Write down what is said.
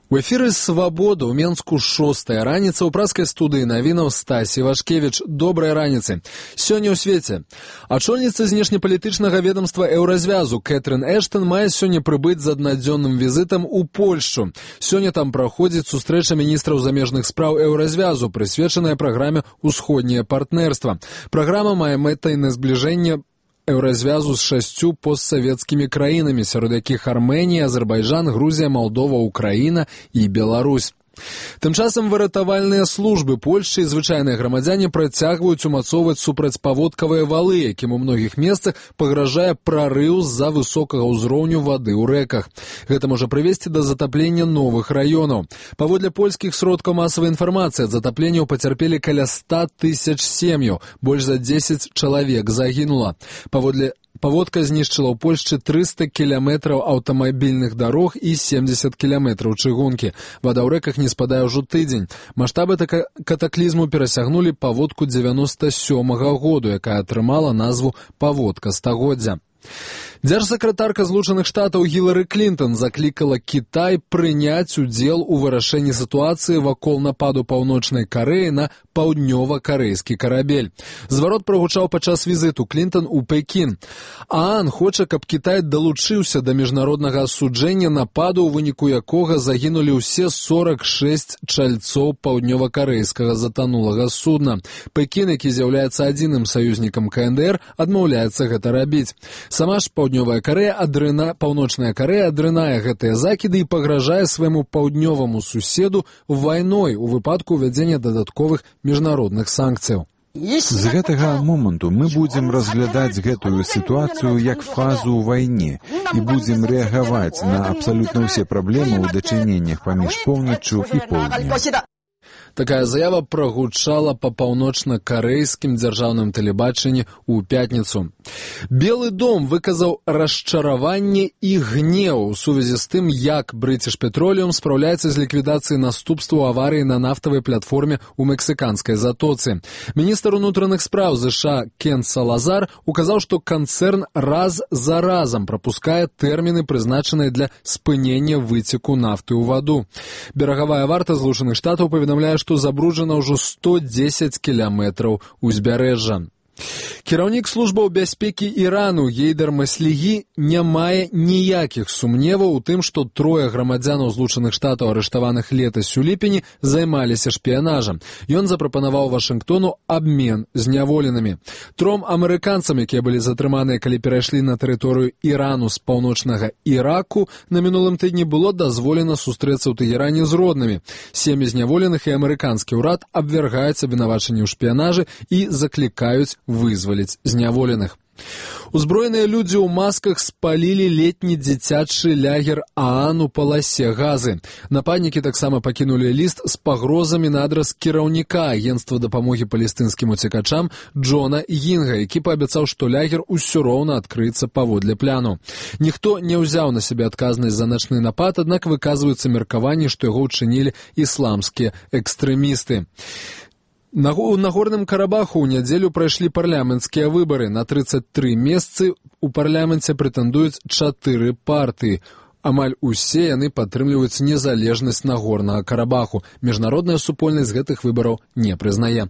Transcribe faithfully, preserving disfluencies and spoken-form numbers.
У эфіры «Свабода» ў Менску шостая раніца ў праскай студыі навінаў Стась Івашкевіч. Добрай раніцы. Сёння ў свеце. Ачольніца знешнепалітычнага ведомства Еўразвязу Кэтрын Эштон мае сёння прыбыць з аднадзённым візітам у Польшчу. Сёння там праходзіць сустрэча міністраў замежных спраў Еўразвязу, прысвечаная праграме «Усходняе партнерства». Праграма мае мэтай на збліжэнне Еўразвязу з шасцю постсавецкімі краінамі, сярод якіх Арменія, Азербайджан, Грузія, Малдова, Украіна і Беларусь. Тым часам выратавальныя службы Польшчы і звычайныя грамадзяне працягваюць умацоўваць супрацьпаводкавыя валы, якім у многіх месцах пагражае прарыў з-за высокага ўзроўню вады ў рэках. Гэта можа прывесці да затаплення новых раёнаў. Паводле польскіх сродкаў масавай інфармацыі ад затапленняў пацярпелі каля ста тысяч сем'яў, больш за дзесяць чалавек загінула. Паводле Паводка знішчыла ў Польшчы трыста кіламетраў аўтамабільных дарог і семдзесят кіламетраў чыгункі. Вада ў рэках не спадае ўжо тыдзень. Маштабы катаклізму перасягнулі паводку дзевяноста сёмага году, якая атрымала назву «Паводка стагоддзя». Дзяржсакратарка Злучаных Штатаў Гілары Клінтон заклікала Кітай прыняць удзел у вырашэнні сітуацыі вакол нападу Паўночнай Карэі на паўднёва-карэйскі карабель. Зварот прагучаў падчас візіту Клінтон у Пекін. ААН хоча, каб Кітай далучыўся да міжнароднага асуджэння нападу, у выніку якога загінулі ўсе сорак шэсць чальцоў паўднёва-карэйскага затанулага судна. Пекін, які з'яўляецца адзіным саюзнікам КНДР, адмаўляецца гэта рабіць. Сама ж Паўднёвая Карэя адрына, Паўночная Карэя адрынае гэтыя закіды і пагражае свайму паўднёваму суседу вайной у выпадку ўвядзення дадатковых міжнародных санкцыяў. З гэтага моманту мы будзем разглядаць гэтую сітуацыю як фазу ў вайне і будзем рэагаваць на абсалютна ўсе праблемы ў дачыненнях паміж поўначчу і поўднем. Такая заява прагучала па паўночна-карэйскім дзяржаўным тэлебачанні ў пятніцу. Белы дом выказаў расчараванне і гнеў у сувязі з тым, як British Petroleum спраўляецца з ліквідацыяй наступстваў аварыі на нафтавай платформе ў мексіканскай затоцы. Міністр унутраных спраў ЗША Кен Салазар указаў, што канцэрн раз за разам прапускае тэрміны, прызначаныя для спынення выцеку нафты ў ваду. Берагавая варта Злучаных Штатаў паведамляе, што забруджана ўжо сто дзесяць кіламетраў узбярэжжа. Кіраўнік службаў бяспекі Ірану Гейдар Маслігі не мае ніякіх сумневаў у тым, што трое грамадзянаў Злучаных Штатаў, арыштаваных летась у ліпені, займаліся шпіянажам. Ён запрапанаваў Вашынгтону абмен зняволенымі. Тром амерыканцам, якія былі затрыманыя, калі перайшлі на тэрыторыю Ірану з паўночнага Іраку, на мінулым тыдні было дазволена сустрэцца ў Тэгеране з роднымі. Сем'і зняволеных і амерыканскі ўрад абвяргаюць абвінавачанні ў шпіянажы і заклікаюць вызваліць зняволеных. Узброеныя людзі ў масках спалілі летні дзіцячы лягер ААН у паласе Газы. Нападнікі таксама пакінулі ліст з пагрозамі на адрас кіраўніка агенцтва дапамогі палестынскім уцекачам Джона Гінга, які паабяцаў, што лягер усё роўна адкрыецца паводле пляну. Ніхто не ўзяў на сябе адказнасць за начны напад, аднак выказваюцца меркаванні, што яго ўчынілі ісламскія экстрэмісты. На Нагорным Карабаху ў нядзелю прайшлі парламенцкія выбары. На трыццаць тры месцы ў парламенце прэтэндуюць чатыры партыі. Амаль усе яны падтрымліваюць незалежнасць Нагорнага Карабаху. Міжнародная супольнасць гэтых выбараў не прызнае.